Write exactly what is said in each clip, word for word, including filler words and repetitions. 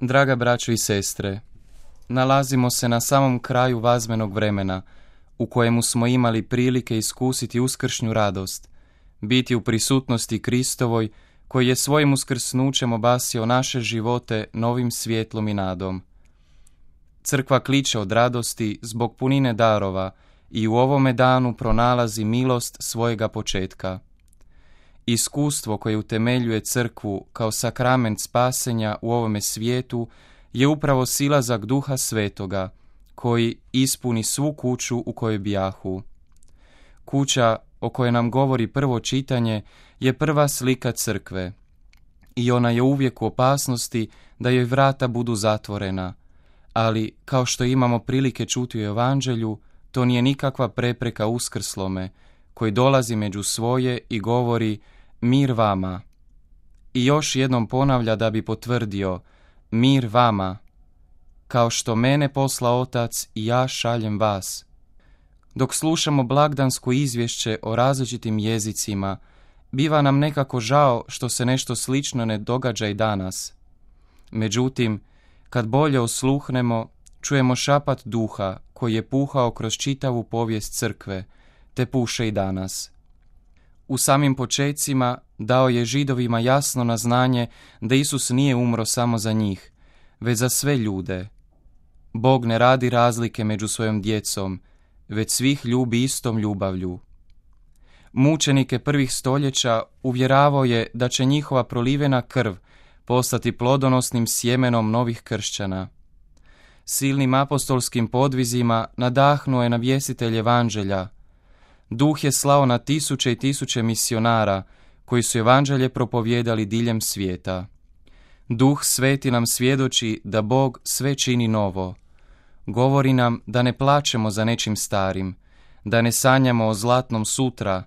Draga braćo i sestre, nalazimo se na samom kraju vazmenog vremena u kojemu smo imali prilike iskusiti uskršnju radost, biti u prisutnosti Kristovoj koji je svojim uskrsnućem obasio naše živote novim svjetlom i nadom. Crkva kliče od radosti zbog punine darova i u ovome danu pronalazi milost svojega početka. Iskustvo koje utemeljuje crkvu kao sakrament spasenja u ovome svijetu je upravo silazak Duha Svetoga, koji ispuni svu kuću u kojoj bijahu. Kuća o kojoj nam govori prvo čitanje je prva slika crkve i ona je uvijek u opasnosti da joj vrata budu zatvorena, ali kao što imamo prilike čuti u Evanđelju, to nije nikakva prepreka uskrslome koji dolazi među svoje i govori mir vama. I još jednom ponavlja da bi potvrdio mir vama, kao što mene posla Otac i ja šaljem vas. Dok slušamo blagdansko izvješće o različitim jezicima, biva nam nekako žao što se nešto slično ne događa i danas. Međutim, kad bolje osluhnemo, čujemo šapat duha koji je puhao kroz čitavu povijest crkve, te puše i danas. U samim počecima dao je Židovima jasno na znanje da Isus nije umro samo za njih, već za sve ljude. Bog ne radi razlike među svojom djecom, već svih ljubi istom ljubavlju. Mučenike prvih stoljeća uvjeravao je da će njihova prolivena krv postati plodonosnim sjemenom novih kršćana. Silnim apostolskim podvizima nadahnuo je navjestitelj Evanđelja. Duh je slao na tisuće i tisuće misionara koji su Evanđelje propovijedali diljem svijeta. Duh Sveti nam svjedoči da Bog sve čini novo. Govori nam da ne plačemo za nečim starim, da ne sanjamo o zlatnom sutra,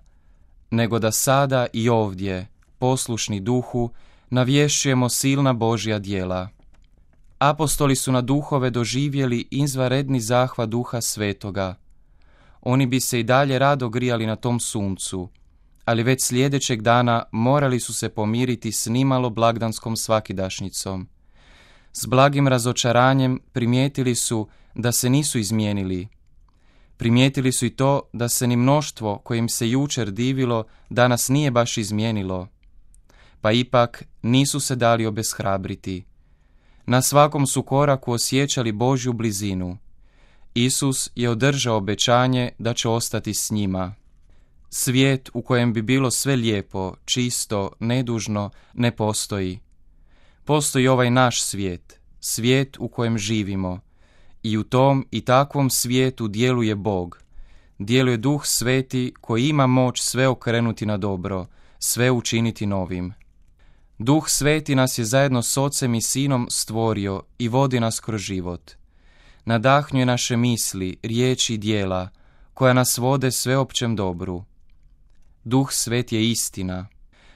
nego da sada i ovdje, poslušni Duhu, navješćujemo silna Božja djela. Apostoli su na duhove doživjeli izvanredni zahvat Duha Svetoga. Oni bi se i dalje rado grijali na tom suncu, ali već sljedećeg dana morali su se pomiriti s nimalo blagdanskom svakidašnjicom. S blagim razočaranjem primijetili su da se nisu izmijenili. Primijetili su i to da se ni mnoštvo kojim se jučer divilo danas nije baš izmijenilo. Pa ipak nisu se dali obeshrabriti. Na svakom su koraku osjećali Božju blizinu. Isus je održao obećanje da će ostati s njima. Svijet u kojem bi bilo sve lijepo, čisto, nedužno, ne postoji. Postoji ovaj naš svijet, svijet u kojem živimo. I u tom i takvom svijetu djeluje Bog. Djeluje Duh Sveti koji ima moć sve okrenuti na dobro, sve učiniti novim. Duh Sveti nas je zajedno s Ocem i Sinom stvorio i vodi nas kroz život. Nadahnjuje naše misli, riječi i djela, koja nas vode sveopćem dobru. Duh Svet je istina.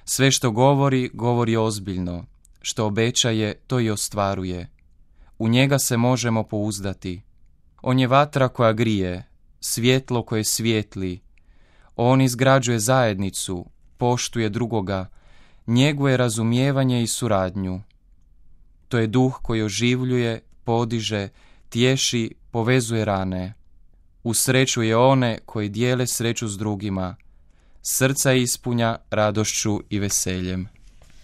Sve što govori, govori ozbiljno. Što obećaje, to i ostvaruje. U njega se možemo pouzdati. On je vatra koja grije, svjetlo koje svijetli. On izgrađuje zajednicu, poštuje drugoga, njeguje razumijevanje i suradnju. To je duh koji oživljuje, podiže, tješi, povezuje rane. Usrećuje one koji dijele sreću s drugima. Srca ispunja radošću i veseljem.